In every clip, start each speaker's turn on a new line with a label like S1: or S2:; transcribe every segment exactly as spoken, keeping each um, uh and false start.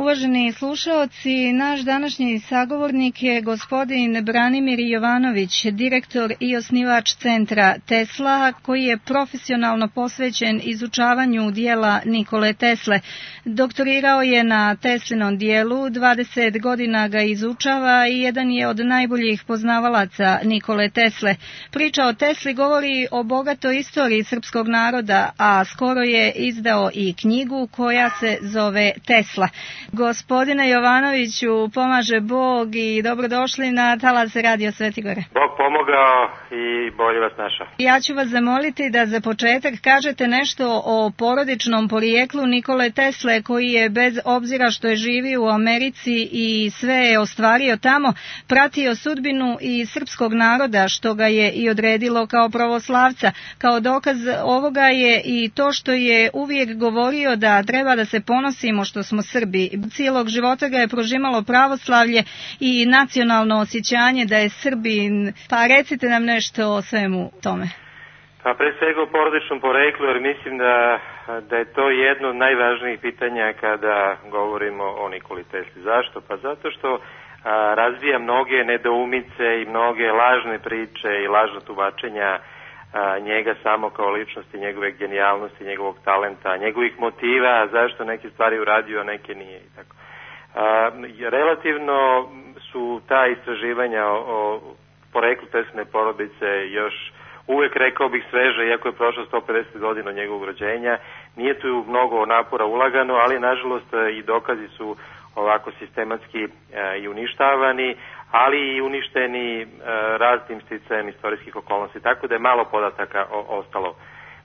S1: Uvaženi slušaoci, naš današnji sagovornik je gospodin Branimir Jovanović, direktor i osnivač centra Tesla, koji je profesionalno posvećen izučavanju dijela Nikole Tesle. Doktorirao je na Teslinom dijelu, dvadeset godina ga izučava i jedan je od najboljih poznavalaca Nikole Tesle. Priča o Tesli govori o bogatoj istoriji srpskog naroda, a skoro je izdao i knjigu koja se zove Tesla. Gospodine Jovanoviću, pomaže Bog i dobrodošli na talas Radio Sveti Gore.
S2: Bog pomogao i bolje vas našao.
S1: Ja ću vas zamoliti da za početak kažete nešto o porodičnom porijeklu Nikole Tesle, koji je bez obzira što je živio u Americi i sve je ostvario tamo, pratio sudbinu i srpskog naroda, što ga je i odredilo kao pravoslavca. Kao dokaz ovoga je i to što je uvijek govorio da treba da se ponosimo što smo Srbi. Cijelog života ga je prožimalo pravoslavlje i nacionalno osjećanje da je Srbin. Pa recite nam nešto o svemu tome.
S2: Pa pre svega o porodičnom poreklu, jer mislim da, da je to jedno od najvažnijih pitanja kada govorimo o Nikoli Tesli. Zašto? Pa zato što a, razvija mnoge nedoumice i mnoge lažne priče i lažna tumačenja a, njega samo kao ličnosti, njegove genijalnosti, njegovog talenta, njegovih motiva, zašto neke stvari uradio, a neke nije i tako. A, relativno su ta istraživanja o, o poreklu Tesline porodice još uvek, rekao bih, sveže, iako je prošlo sto pedeset godina od njegovog rođenja. Nije tu mnogo napora ulagano, ali nažalost i dokazi su ovako sistematski e, i uništavani, ali i uništeni e, raznim sticajem istorijskih okolnosti, tako da je malo podataka o, ostalo.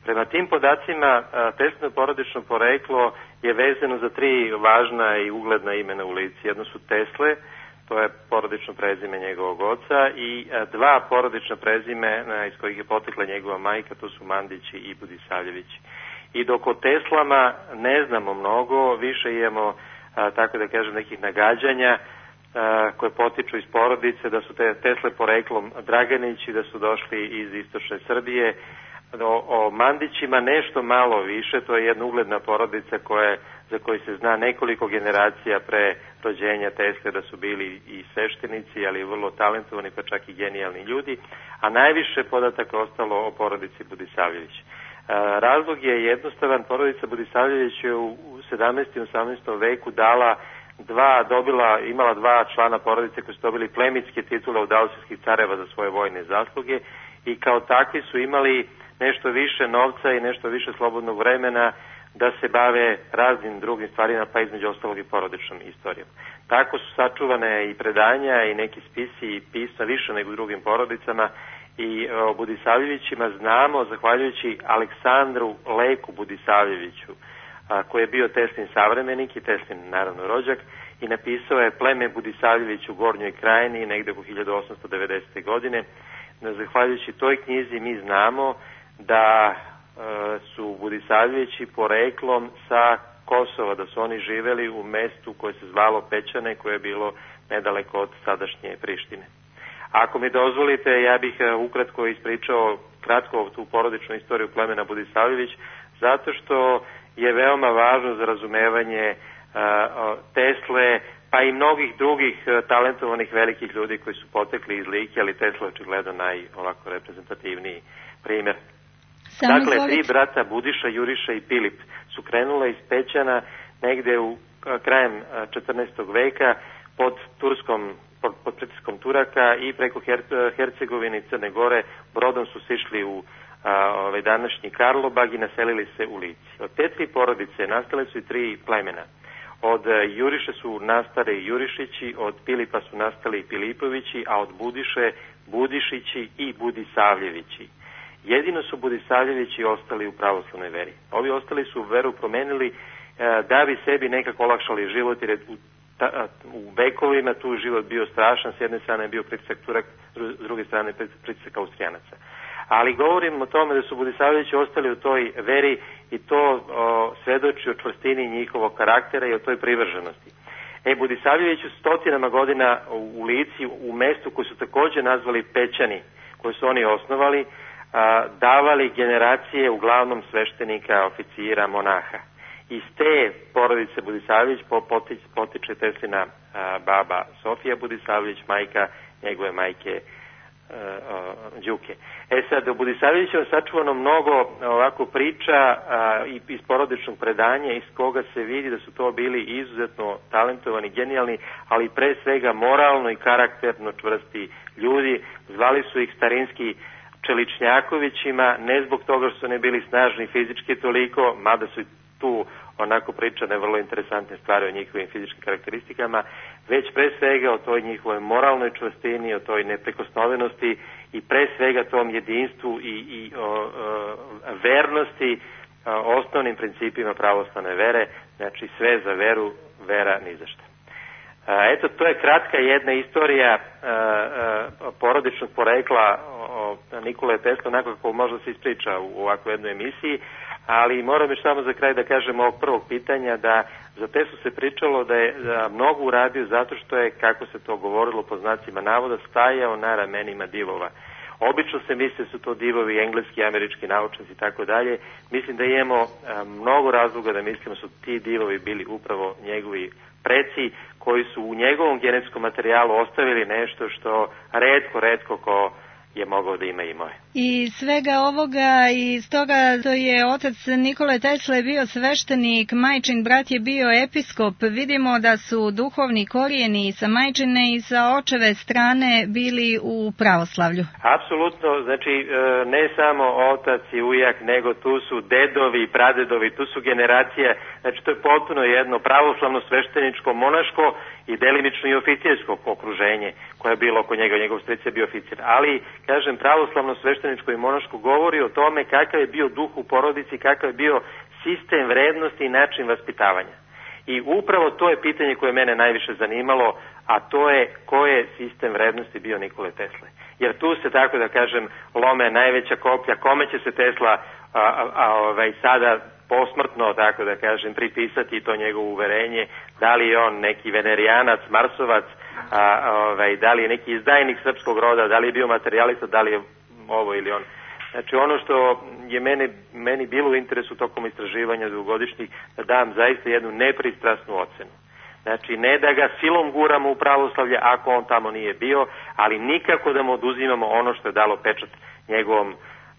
S2: Prema tim podacima, Teslino porodično poreklo je vezano za tri važna i ugledna imena u lici. Jedno su Tesle, to je porodično prezime njegovog oca, i dva porodična prezime iz kojih je potekla njegova majka, to su Mandići i Budisavljevići. I dok o Teslama ne znamo mnogo, više imamo, tako da kažem, nekih nagađanja koje potiču iz porodice, da su te Tesle poreklom Draganići, da su došli iz istočne Srbije. O, o Mandićima nešto malo više, to je jedna ugledna porodica koje, za koju se zna nekoliko generacija pre rođenja Tesle da su bili i sveštenici, ali vrlo talentovani, pa čak i genijalni ljudi, a najviše podataka ostalo o porodici Budisavljević. E, razlog je jednostavan, porodica Budisavljević je u sedamnaestom i osamnaestom veku dala dva, dobila, imala dva člana porodice koji su dobili plemitske titule od austrijskih careva za svoje vojne zasluge i kao takvi su imali nešto više novca i nešto više slobodnog vremena da se bave raznim drugim stvarima, pa između ostalog i porodičnom istorijom. Tako su sačuvane i predanja i neki spisi i pisma više nego u drugim porodicama i o Budisavljevićima znamo zahvaljujući Aleksandru Leku Budisavljeviću, a, koji je bio Teslin savremenik i Teslin naravno rođak i napisao je Pleme Budisavljević u Gornjoj Krajini negde oko hiljadu osamsto devedesete. godine. Zahvaljujući toj knjizi mi znamo da e, su Budisavljevići poreklom sa Kosova, da su oni živeli u mestu koje se zvalo Pećane, koje je bilo nedaleko od sadašnje Prištine. Ako mi dozvolite, ja bih ukratko ispričao kratko tu porodičnu istoriju plemena Budisavljević, zato što je veoma važno za razumevanje uh, Tesle, pa i mnogih drugih uh, talentovanih velikih ljudi koji su potekli iz Like, ali Tesla očigledno naj ovako reprezentativniji primjer. Samo dakle, tri brata Budiša, Juriša i Pilip su krenule iz Pećana negde u uh, krajem uh, četrnaestog veka pod turskom pod, pod pritiskom Turaka i preko Her, Hercegovine i Crne Gore brodom su sišli u a, ovaj današnji Karlobag i naselili se u Lici. Od te tri porodice nastale su i tri plemena. Od a, Juriše su nastali Jurišići, od Pilipa su nastali Pilipovići, a od Budiše Budišići i Budisavljevići. Jedino su Budisavljevići ostali u pravoslavnoj veri. Ovi ostali su veru promenili a, da bi sebi nekako olakšali život, jer je u Ta, u vekovima tu život bio strašan, s jedne strane je bio pritisak Turak, s druge strane pritisak Austrijanaca. Ali govorim o tome da su Budisavljevići ostali u toj veri i to o, svedoči o čvrstini njihovog karaktera i o toj privrženosti. E, Budisavljevići su stotinama godina u Lici, u mestu koje su također nazvali Pećani, koje su oni osnovali, a, davali generacije uglavnom sveštenika, oficira, monaha. Iz te porodice Budisavljević potiče Teslina baba Sofija Budisavljević, majka njegove majke Đuke. E sad, o Budisavljeviću je sačuvano mnogo ovako priča a, iz porodičnog predanja iz koga se vidi da su to bili izuzetno talentovani, genijalni, ali pre svega moralno i karakterno čvrsti ljudi. Zvali su ih starinski Čeličnjakovićima, ne zbog toga što su ne bili snažni fizički toliko, mada su tu onako pričane vrlo interesantne stvari o njihovim fizičkim karakteristikama, već pre svega o toj njihovoj moralnoj čvrstini, o toj neprikosnovenosti i pre svega tom jedinstvu i, i o, o, vernosti o, osnovnim principima pravoslavne vere, znači sve za veru, vera ni za šta. Eto, to je kratka jedna istorija a, a, porodičnog porekla o Nikole Tesle, onako kako možda se ispriča u ovakvoj jednoj emisiji, ali moram još samo za kraj da kažem ovog prvog pitanja da za Teslu se pričalo da je da mnogo uradio zato što je, kako se to govorilo po znacima navoda, stajao na ramenima divova. Obično se misle su to divovi engleski, američki naučnici i tako dalje. Mislim da imamo a, mnogo razloga da mislimo su ti divovi bili upravo njegovi preci koji su u njegovom genetskom materijalu ostavili nešto što retko, retko ko je mogao da ima i moje.
S1: I svega ovoga i stoga to je otac Nikole Tesle bio sveštenik, majčin brat je bio episkop. Vidimo da su duhovni korijeni sa majčine i sa očeve strane bili u pravoslavlju.
S2: Apsolutno, znači ne samo otac i ujak, nego tu su dedovi i pradedovi, tu su generacije, znači to je potpuno jedno pravoslavno svešteničko monaško i delimično i oficirsko okruženje koje je bilo oko njega, njegov stric je bio oficir. Ali, kažem, pravoslavno svešteničko i monaško govori o tome kakav je bio duh u porodici, kakav je bio sistem vrednosti i način vaspitavanja. I upravo to je pitanje koje mene najviše zanimalo, a to je ko je sistem vrednosti bio Nikole Tesle. Jer tu se, tako da kažem, lome najveća koplja, kome će se Tesla a, a, a, ovaj, sada posmrtno, tako da kažem, pripisati to njegovo uverenje, da li je on neki venerijanac, marsovac, a, a, ovaj, da li je neki izdajnik srpskog roda, da li je bio materijalista, da li je ovo ili on. Znači ono što je meni, meni bilo u interesu tokom istraživanja dugogodišnjih, da dam zaista jednu nepristrasnu ocenu. Znači ne da ga silom guramo u pravoslavlje ako on tamo nije bio, ali nikako da mu oduzimamo ono što je dalo pečat njegovom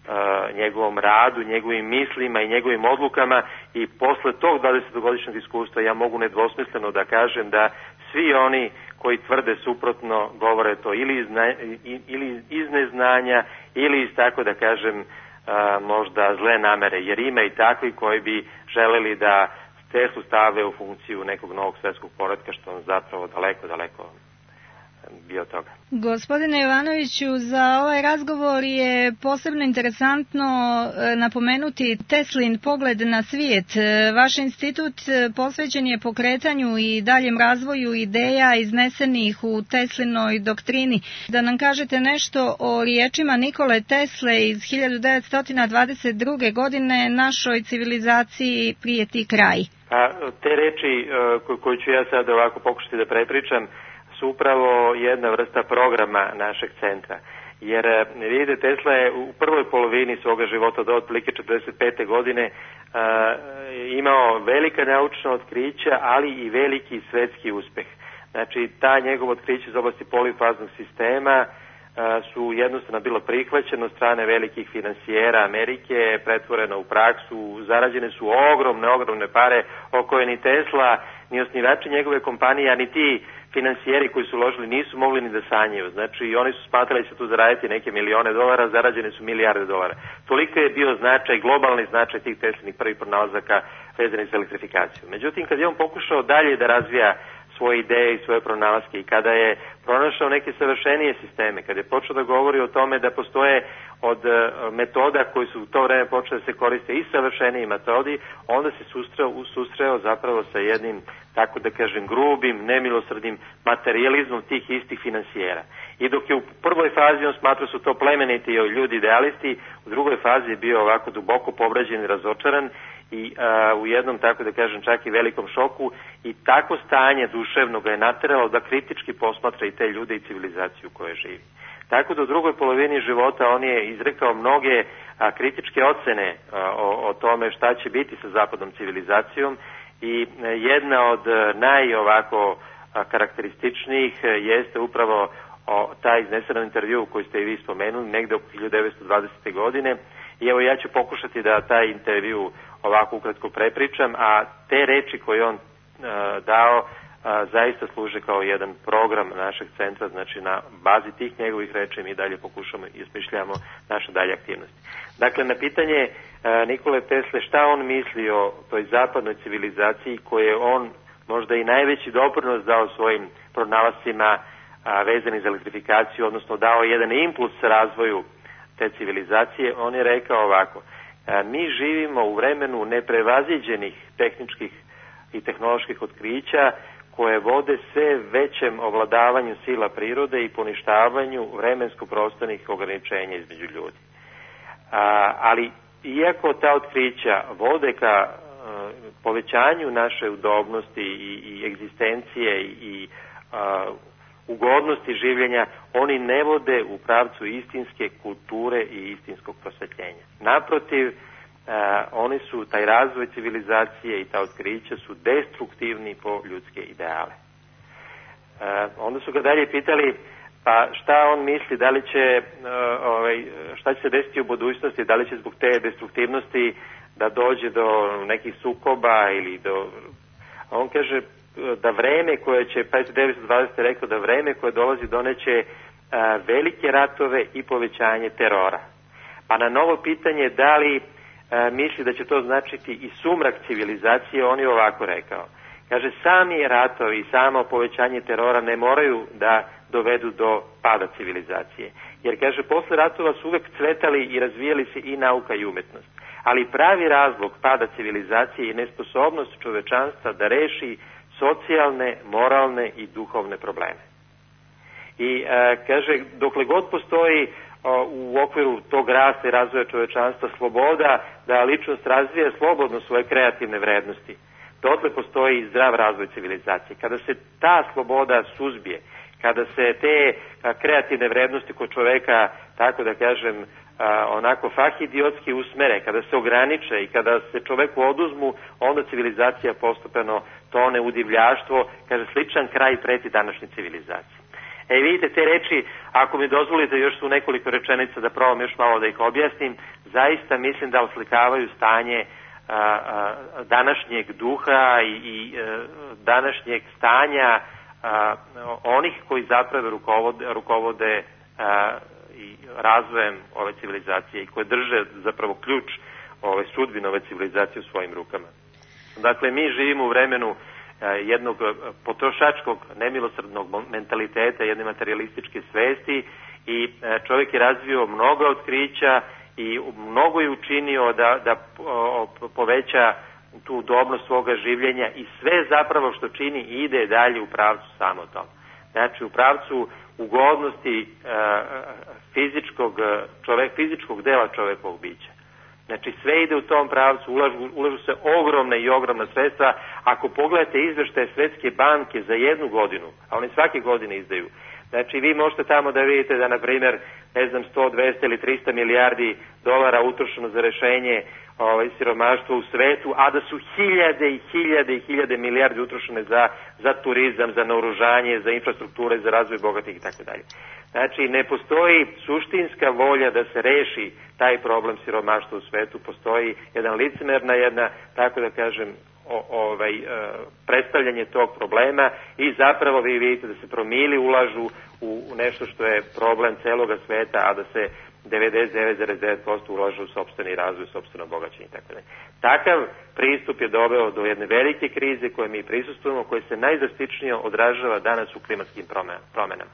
S2: Uh, njegovom radu, njegovim mislima i njegovim odlukama i posle tog dvadesetogodišnjeg iskustva ja mogu nedvosmisleno da kažem da svi oni koji tvrde suprotno govore to ili iz, ne, ili iz neznanja ili iz, tako da kažem, uh, možda zle namere, jer ima i takvi koji bi želeli da Teslu stave u funkciju nekog novog svetskog poretka, što on zapravo daleko, daleko bio toga.
S1: Gospodine Jovanoviću, za ovaj razgovor je posebno interesantno napomenuti Teslin pogled na svijet. Vaš institut posvećen je pokretanju i daljem razvoju ideja iznesenih u Teslinoj doktrini. Da nam kažete nešto o riječima Nikole Tesle iz hiljadu devetsto dvadeset druge. godine našoj civilizaciji prijeti kraj.
S2: A, te reči koje ću ja sad ovako pokušati da prepričam su upravo jedna vrsta programa našeg centra. Jer vidite, Tesla je u prvoj polovini svoga života do otprilike četrdeset pete. godine a, imao velika naučna otkrića, ali i veliki svetski uspeh. Znači, ta njegova otkrića iz oblasti polifaznog sistema a, su jednostavno bilo prihvaćeno od strane velikih finansijera Amerike, pretvoreno u praksu, zarađene su ogromne, ogromne pare o koje ni Tesla, ni osnivači njegove kompanije, a ni ti finansijeri koji su uložili nisu mogli ni da sanjaju. Znači, oni su smatrali da će tu zaraditi neke milione dolara, zarađene su milijarde dolara. Toliko je bio značaj, globalni značaj tih Teslinih prvih pronalazaka vezanih za elektrifikaciju. Međutim, kad je on pokušao dalje da razvija svoje ideje i svoje pronalaske i kada je pronašao neke savršenije sisteme, kada je počeo da govori o tome da postoje od metoda koji su u to vreme počeli da se koriste i savršeniji metodi, onda se susreo, susreo zapravo sa jednim, tako da kažem, grubim, nemilosrdnim materijalizmom tih istih finansijera. I dok je u prvoj fazi on smatrao su to plemeniti ljudi idealisti, u drugoj fazi je bio ovako duboko povređen i razočaran i a, u jednom, tako da kažem, čak i velikom šoku, i tako stanje duševno ga je nateralo da kritički posmatra i te ljude i civilizaciju u kojoj živi. Tako da u drugoj polovini života on je izrekao mnoge a, kritičke ocene a, o, o tome šta će biti sa zapadnom civilizacijom i a, jedna od a, naj ovako a, karakterističnijih a, jeste upravo o, taj izneseni intervju koji ste i vi spomenuli negde oko hiljadu devetsto dvadesete. godine i evo ja ću pokušati da taj intervju ovako ukratko prepričam, a te reči koje on a, dao a, zaista služe kao jedan program našeg centra, znači na bazi tih njegovih reči mi dalje pokušamo i osmišljamo naše dalje aktivnosti. Dakle, na pitanje a, Nikole Tesle šta on misli o toj zapadnoj civilizaciji koje on možda i najveći doprinos dao svojim pronalascima a, vezani za elektrifikaciju, odnosno dao jedan impuls razvoju te civilizacije, on je rekao ovako: a, mi živimo u vremenu neprevaziđenih tehničkih i tehnoloških otkrića koje vode sve većem ovladavanju sila prirode i poništavanju vremensko-prostornih ograničenja između ljudi. A, ali iako ta otkrića vode ka a, povećanju naše udobnosti i, i egzistencije i, i a, ugodnosti življenja, oni ne vode u pravcu istinske kulture i istinskog prosvetljenja. Naprotiv, Uh, oni su, taj razvoj civilizacije i ta otkrića su destruktivni po ljudske ideale. Uh, onda su ga dalje pitali pa šta on misli, da li će uh, ovaj, šta će se desiti u budućnosti, da li će zbog te destruktivnosti da dođe do nekih sukoba ili do... On kaže da vreme koje će, pa devetsto dvadesete. rekao da vreme koje dolazi doneće uh, velike ratove i povećanje terora. Pa na novo pitanje da li E, misli da će to značiti i sumrak civilizacije, on je ovako rekao. Kaže, sami ratovi i samo povećanje terora ne moraju da dovedu do pada civilizacije. Jer, kaže, posle ratova su uvek cvetali i razvijali se i nauka i umetnost. Ali pravi razlog pada civilizacije je nesposobnost čovečanstva da reši socijalne, moralne i duhovne probleme. I, e, kaže, dokle god postoji u okviru tog rasta i razvoja čovečanstva sloboda da ličnost razvija slobodno svoje kreativne vrednosti, dotle postoji zdrav razvoj civilizacije. Kada se ta sloboda suzbije, kada se te kreativne vrednosti kod čoveka, tako da kažem, onako fahidiotski usmere, kada se ograniče i kada se čoveku oduzmu, onda civilizacija postepeno tone u divljaštvo, kaže, sličan kraj preti današnje civilizacije. E, vidite, te reči, ako mi dozvolite još su nekoliko rečenica da probam još malo da ih objasnim, zaista mislim da oslikavaju stanje a, a, današnjeg duha i, i a, današnjeg stanja a, onih koji zapravo rukovode, rukovode a, i razvojem ove civilizacije i koje drže zapravo ključ ove sudbine ove civilizacije u svojim rukama. Dakle, mi živimo u vremenu jednog potrošačkog nemilosrdnog mentaliteta, jedne materialističke svesti i čovjek je razvio mnogo otkrića i mnogo je učinio da, da poveća tu udobnost svoga življenja i sve zapravo što čini ide dalje u pravcu samo tome. Znači u pravcu ugodnosti fizičkog, čovek, fizičkog dela čovekovog bića. Znači sve ide u tom pravcu, ulažu, ulažu se ogromne i ogromna sredstva. Ako pogledate izveštaje Svetske banke za jednu godinu, a oni svake godine izdaju, znači vi možete tamo da vidite da, na primjer, ne znam, sto, dvesta ili trista milijardi dolara utrošeno za rešenje ovaj, siromaštva u svetu, a da su hiljade i hiljade i hiljade milijardi utrošene za, za turizam, za naoružanje, za infrastrukture, za razvoj bogatih i tako dalje. Znači, ne postoji suštinska volja da se reši taj problem siromaštva u svetu, postoji jedan licemerna, jedna, tako da kažem, o, ovaj, e, predstavljanje tog problema i zapravo vi vidite da se promili ulažu u, u nešto što je problem celoga sveta, a da se devedeset devet zarez devet posto ulaže u sopstveni razvoj, sopstveno bogaćenje i tako dalje. Takav pristup je doveo do jedne velike krize koje mi prisustujemo, koje se najdrastičnije odražava danas u klimatskim promenama.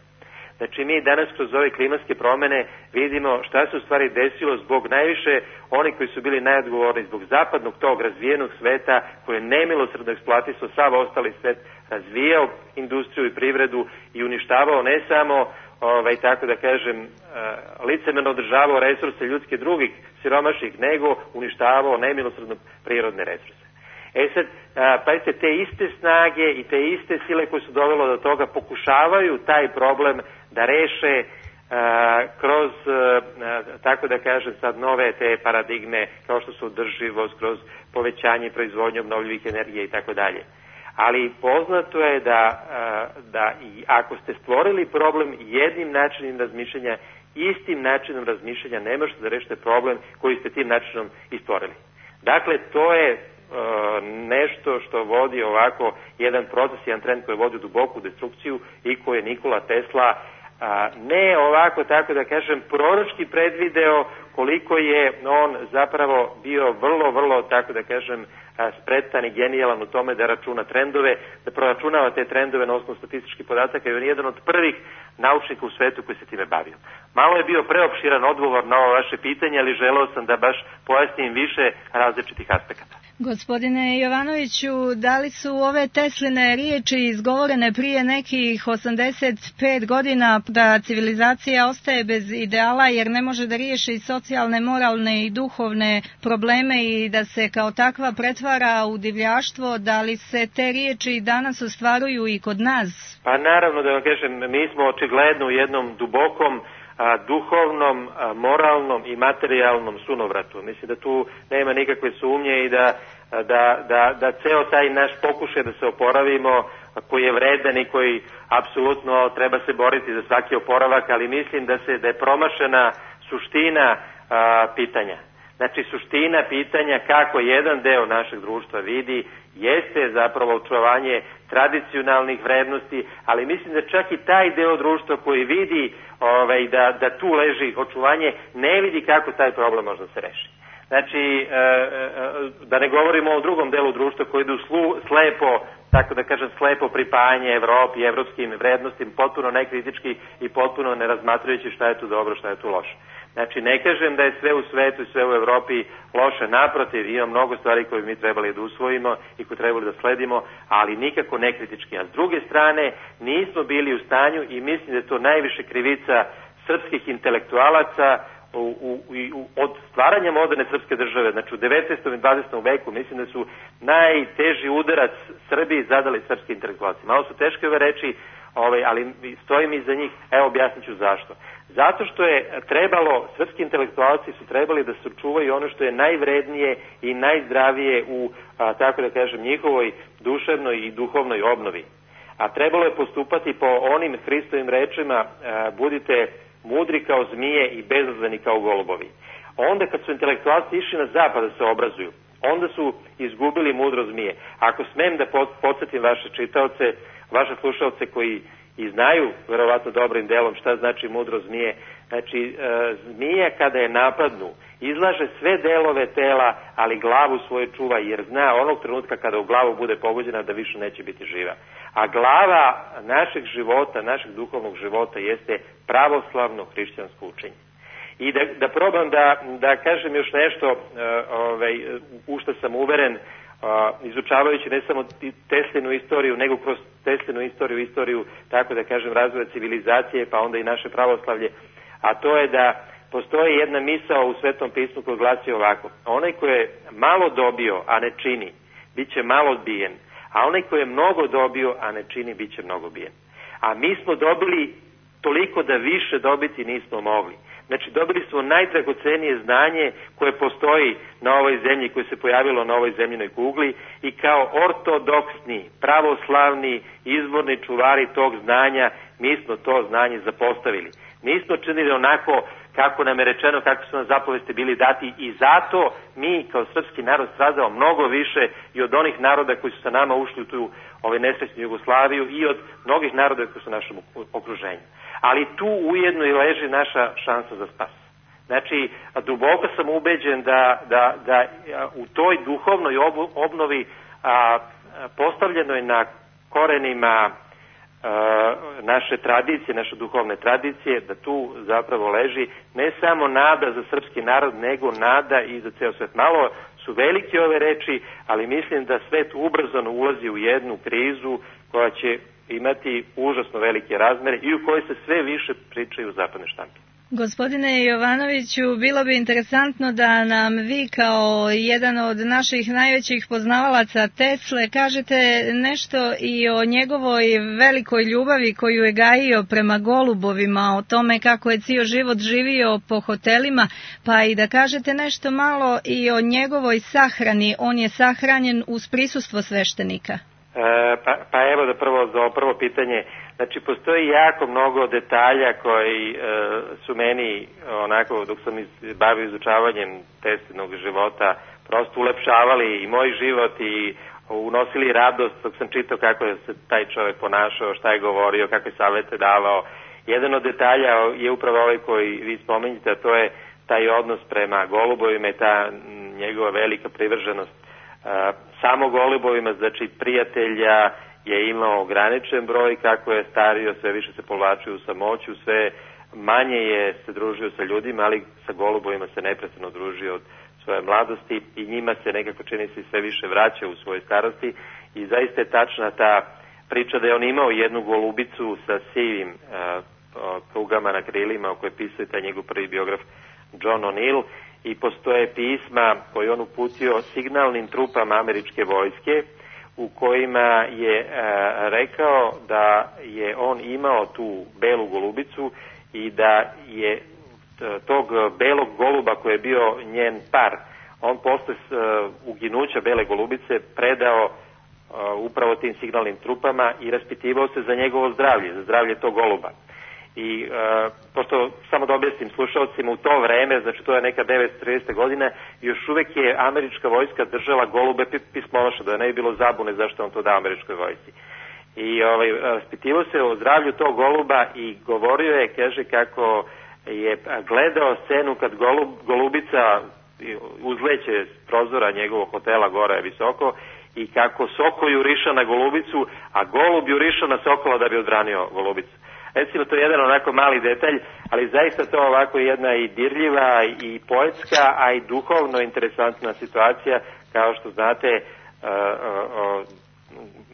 S2: Znači mi danas kroz ove klimatske promene vidimo šta se u stvari desilo zbog najviše oni koji su bili najodgovorni zbog zapadnog tog razvijenog sveta koji je nemilosrdno eksploatisao sav ostali svet, razvijao industriju i privredu i uništavao ne samo ovaj, tako da kažem, uh, licemerno održavao resurse ljudske drugih siromašnih, nego uništavao nemilosrdno prirodne resurse. E sad, pazite, te iste snage i te iste sile koje su dovelo do toga pokušavaju taj problem da reše kroz, tako da kažem sad, nove te paradigme kao što su održivost, kroz povećanje proizvodnje obnovljivih energija i tako dalje. Ali poznato je da, da i ako ste stvorili problem jednim načinom razmišljanja, istim načinom razmišljanja ne možete da rešite problem koji ste tim načinom i stvorili. Dakle, to je nešto što vodi ovako jedan proces, jedan trend koji vodi u duboku destrukciju i koji je Nikola Tesla a, ne ovako, tako da kažem, proročki predvideo, koliko je on zapravo bio vrlo, vrlo, tako da kažem, spretan i genijalan u tome da računa trendove, da proračunava te trendove na osnovu statističkih podataka i on je jedan od prvih naučnika u svetu koji se time bavio. Malo je bio preopširan odgovor na ovo vaše pitanje, ali želeo sam da baš pojasnim više različitih aspekata.
S1: Gospodine Jovanoviću, da li su ove Tesline riječi izgovorene prije nekih osamdeset pet godina da civilizacija ostaje bez ideala jer ne može da riješi socijalne, moralne i duhovne probleme i da se kao takva pretvara u divljaštvo, da li se te riječi danas ostvaruju i kod nas?
S2: Pa naravno, da vam kažem, mi smo očigledno u jednom dubokom a, duhovnom, a, moralnom i materijalnom sunovratu. Mislim da tu nema nikakve sumnje i da, da, da, da ceo taj naš pokušaj da se oporavimo, koji je vredan i koji apsolutno treba se boriti za svaki oporavak, ali mislim da se da je promašena suština a, pitanja. Znači, suština pitanja kako jedan deo našeg društva vidi jeste zapravo očuvanje tradicionalnih vrednosti, ali mislim da čak i taj deo društva koji vidi ovaj, da, da tu leži očuvanje, ne vidi kako taj problem može da se reši. Znači, da ne govorimo o drugom delu društva koji idu slu, slepo, tako da kažem, slepo pripajanje Evropi i evropskim vrednostima, potpuno nekritički i potpuno ne razmatrajući šta je tu dobro, šta je tu loše. Znači, ne kažem da je sve u svetu i sve u Evropi loše, naprotiv, ima mnogo stvari koje mi trebali da usvojimo i koje trebali da sledimo, ali nikako nekritički. A s druge strane, nismo bili u stanju i mislim da je to najviše krivica srpskih intelektualaca u, u, u, od stvaranja moderne srpske države, znači u devetnaestom i dvadesetom veku, mislim da su najteži udarac Srbiji zadali srpski intelektualci. Malo su teške ove reči, ovaj, ali stojim iza njih, evo objasnit ću zašto. Zato što je trebalo, srpski intelektualci su trebali da sačuvaju ono što je najvrednije i najzdravije u, a, tako da kažem, njihovoj duševnoj i duhovnoj obnovi. A trebalo je postupati po onim Hristovim rečima, a, budite mudri kao zmije i bezazleni kao golubovi. Onda kad su intelektualci išli na zapad da se obrazuju, onda su izgubili mudro zmije. Ako smem da podsjetim vaše čitaoce, vaše slušalce koji i znaju verovatno dobrim delom šta znači mudro zmije, znači e, zmija kada je napadnu izlaže sve delove tela, ali glavu svoju čuva, jer zna onog trenutka kada u glavu bude pogođena da više neće biti živa. A glava našeg života, našeg duhovnog života jeste pravoslavno hrišćansko učenje. I da, da probam da, da kažem još nešto, uh, ovaj, u što sam uveren, uh, izučavajući ne samo Teslinu istoriju, nego kroz Teslinu istoriju, istoriju, tako da kažem, razvoja civilizacije, pa onda i naše pravoslavlje, a to je da postoji jedna misao u Svetom pismu koja glasi ovako: onaj ko je malo dobio, a ne čini, bit će malo odbijen, a onaj ko je mnogo dobio, a ne čini, bit će mnogo odbijen. A mi smo dobili toliko da više dobiti nismo mogli. Znači, dobili smo najdragocenije znanje koje postoji na ovoj zemlji, koje se pojavilo na ovoj zemljinoj kugli, i kao ortodoksni, pravoslavni, izvorni čuvari tog znanja, mi smo to znanje zapostavili. Nismo činili onako kako nam je rečeno, kako su nam zapovesti bili dati, i zato mi kao srpski narod stradao mnogo više i od onih naroda koji su sa nama ušli u tu ovaj nesrećnu Jugoslaviju i od mnogih naroda koji su u našem okruženju. Ali tu ujedno i leži naša šansa za spas. Znači, duboko sam ubeđen da, da, da u toj duhovnoj obnovi a, postavljenoj na korenima a, naše tradicije, naše duhovne tradicije, da tu zapravo leži ne samo nada za srpski narod, nego nada i za ceo svet. Malo su velike ove reči, ali mislim da svet ubrzano ulazi u jednu krizu koja će imati užasno velike razmere i u kojoj se sve više pričaju u zapadnoj štampi.
S1: Gospodine Jovanoviću, bilo bi interesantno da nam vi kao jedan od naših najvećih poznavalaca Tesle kažete nešto i o njegovoj velikoj ljubavi koju je gajio prema golubovima, o tome kako je cijel život živio po hotelima, pa i da kažete nešto malo i o njegovoj sahrani. On je sahranjen uz prisustvo sveštenika.
S2: E, pa, pa evo da prvo za prvo pitanje. Znači, postoji jako mnogo detalja koji e, su meni, onako, dok sam iz, bavio izučavanjem Teslinog života, prosto ulepšavali i moj život i unosili radost dok sam čitao kako je se taj čovjek ponašao, šta je govorio, kakve savete davao. Jedan od detalja je upravo ovaj koji vi spominjete, a to je taj odnos prema golubovima i ta njegova velika privrženost e, samo golubovima, znači prijatelja je imao ograničen broj, kako je stario, sve više se povlačio u samoću, sve manje je se družio sa ljudima, ali sa golubovima se neprestano družio od svoje mladosti i njima se nekako čini se sve više vraća u svojoj starosti i zaista je tačna ta priča da je on imao jednu golubicu sa sivim uh, prugama na krilima o kojoj pisao taj njegov prvi biograf John O'Neill i postoje pisma koje on uputio signalnim trupama američke vojske u kojima je e, rekao da je on imao tu belu golubicu i da je tog belog goluba koji je bio njen par, on posle e, uginuća bele golubice predao e, upravo tim signalnim trupama i raspitivao se za njegovo zdravlje, za zdravlje tog goluba. I e, pošto samo da objasnim slušalcima, u to vreme, znači to je neka devetsto trideseta godina, još uvek je američka vojska držala golube pismonoša, da ne bi bilo zabune zašto on to dao američkoj vojsci. I ovaj, raspitivao se o zdravlju tog goluba i govorio je, kaže, kako je gledao scenu kad golub, golubica uzleće s prozora njegovog hotela gore visoko i kako soko juriša na golubicu, a golub juriša na sokola da bi odbranio golubicu. Recimo, to je jedan onako mali detalj, ali zaista to ovako jedna i dirljiva i poetska, a i duhovno interesantna situacija. Kao što znate, uh, uh, uh,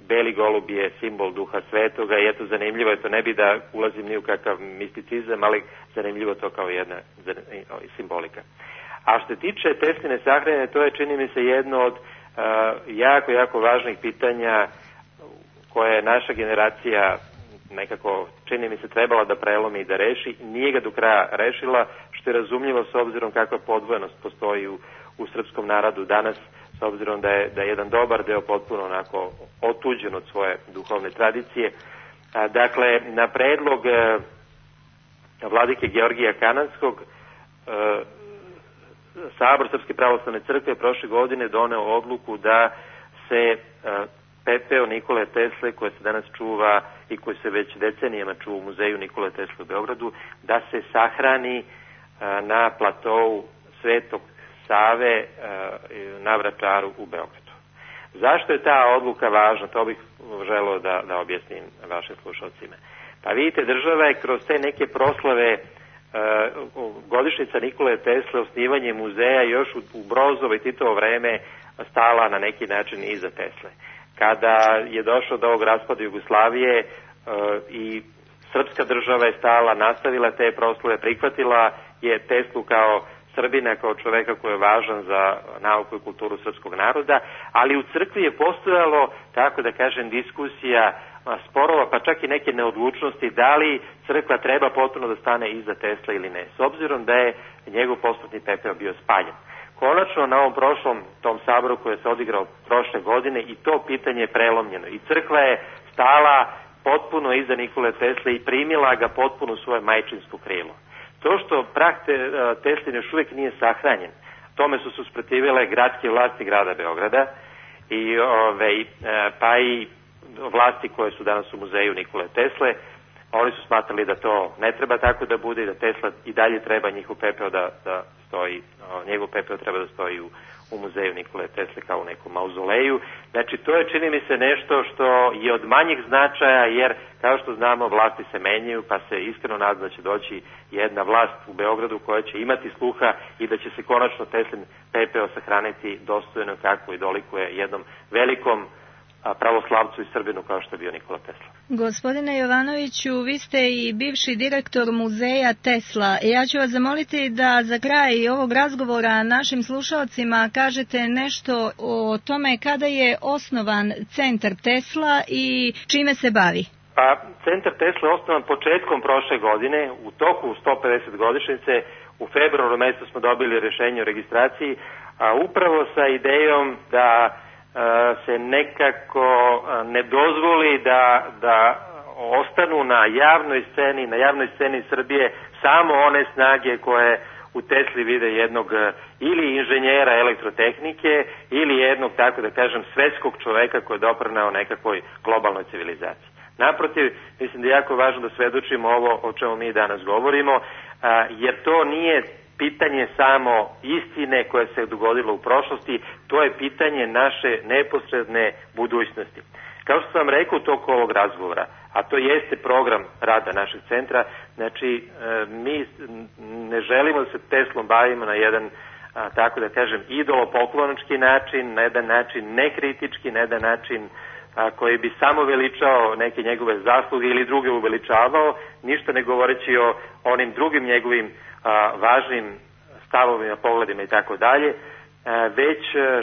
S2: beli golub je simbol duha svetoga i eto, zanimljivo je to, ne bi da ulazim ni u kakav misticizam, ali zanimljivo to kao jedna simbolika. A što se tiče Tesline sahrane, to je, čini mi se, jedno od uh, jako, jako važnih pitanja koje je naša generacija nekako, čini mi se, trebala da prelomi i da reši, nije ga do kraja rešila, što je razumljivo s obzirom kakva podvojenost postoji u, u srpskom narodu danas, s obzirom da je, da je jedan dobar deo potpuno onako otuđen od svoje duhovne tradicije. A, dakle, na predlog e, vladike Georgija Kananskog, e, Sabor Srpske pravoslavne crkve prošle godine doneo odluku da se e, pepeo Nikole Tesle, koje se danas čuva i koji se već decenijama čuva u muzeju Nikole Tesle u Beogradu, da se sahrani a, na platou Svetog Save a, na Vračaru u Beogradu. Zašto je ta odluka važna? To bih želeo da, da objasnim vašim slušalcima. Pa vidite, država je kroz te neke proslave a, godišnjica Nikole Tesle, osnivanje muzeja još u, u Brozovo i Titovo vreme stala na neki način iza Tesle. Kada je došlo do ovog raspada Jugoslavije e, i srpska država je stala, nastavila te proslave, prihvatila je Teslu kao Srbina, kao čoveka koji je važan za nauku i kulturu srpskog naroda, ali u crkvi je postojalo, tako da kažem, diskusija, sporova, pa čak i neke neodlučnosti da li crkva treba potpuno da stane iza Tesla ili ne, s obzirom da je njegov posmrtni pepeo bio spaljen. Konačno na ovom prošlom tom saboru koji se odigrao prošle godine i to pitanje je prelomljeno i crkva je stala potpuno iza Nikole Tesle i primila ga potpuno u svoje majčinsko krilo. To što prah te, Tesline još uvijek nije sahranjen, tome su se usprotivile gradske vlasti grada Beograda i ove, pa i vlasti koje su danas u muzeju Nikole Tesle. Oni su smatrali da to ne treba tako da bude i da Tesla i dalje treba njihov pepeo da, da stoji, njegov pepeo treba da stoji u, u muzeju Nikole Tesle kao u nekom mauzoleju. Znači, to je, čini mi se, nešto što je od manjih značaja, jer kao što znamo, vlasti se menjaju, pa se iskreno nadam da će doći jedna vlast u Beogradu koja će imati sluha i da će se konačno Teslin pepeo sahraniti dostojno kako i dolikuje jednom velikom pravoslavcu i Srbinu kao što je bio Nikola Tesla.
S1: Gospodine Jovanoviću, vi ste i bivši direktor muzeja Tesla. Ja ću vas zamoliti da za kraj ovog razgovora našim slušalcima kažete nešto o tome kada je osnovan centar Tesla i čime se bavi.
S2: Pa, centar Tesla je osnovan početkom prošle godine, u toku sto pedeset godišnjice, u februaru mjesecu smo dobili rješenje o registraciji, a upravo sa idejom da se nekako ne dozvoli da, da ostanu na javnoj sceni, na javnoj sceni Srbije samo one snage koje u Tesli vide jednog ili inženjera elektrotehnike ili jednog, tako da kažem, svetskog čoveka koji je doprineo nekakvoj globalnoj civilizaciji. Naprotiv, mislim da je jako važno da svedočimo ovo o čemu mi danas govorimo, jer to nije pitanje samo istine koje se dogodilo u prošlosti, to je pitanje naše neposredne budućnosti. Kao što sam rekao u toku ovog razgovora, a to jeste program rada našeg centra, znači mi ne želimo da se Teslom bavimo na jedan, tako da kažem, idolopoklonički način, na jedan način nekritički, na jedan način koji bi samo veličao neke njegove zasluge ili druge uveličavao, ništa ne govoreći o onim drugim njegovim a, važnim stavovima, pogledima i tako dalje, već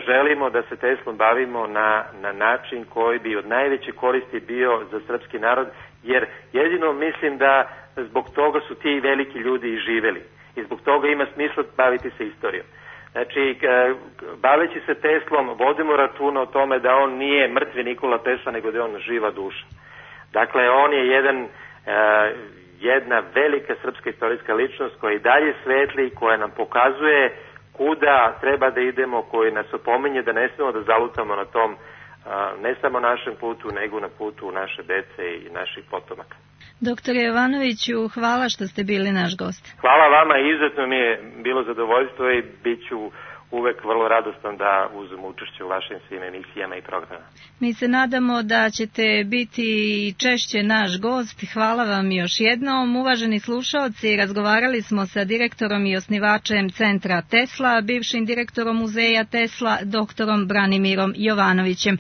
S2: želimo da se Teslom bavimo na, na način koji bi od najveće koristi bio za srpski narod, jer jedino mislim da zbog toga su ti veliki ljudi i živeli i zbog toga ima smisla baviti se istorijom. Znači, baveći se Teslom, vodimo računa o tome da on nije mrtvi Nikola Tesla, nego da je on živa duša. Dakle, on je jedan, jedna velika srpska istorijska ličnost koja i dalje svetli, koja nam pokazuje kuda treba da idemo, koji nas opominje da ne smemo da zalutamo na tom, ne samo našem putu, nego na putu naše dece i naših potomaka.
S1: Doktore Jovanoviću, hvala što ste bili naš gost.
S2: Hvala vama, izuzetno mi je bilo zadovoljstvo i bit ću uvek vrlo radostan da uzmem učešće u vašim svim emisijama i programama.
S1: Mi se nadamo da ćete biti češće naš gost. Hvala vam još jednom. Uvaženi slušaoci, razgovarali smo sa direktorom i osnivačem centra Tesla, bivšim direktorom muzeja Tesla, doktorom Branimirom Jovanovićem.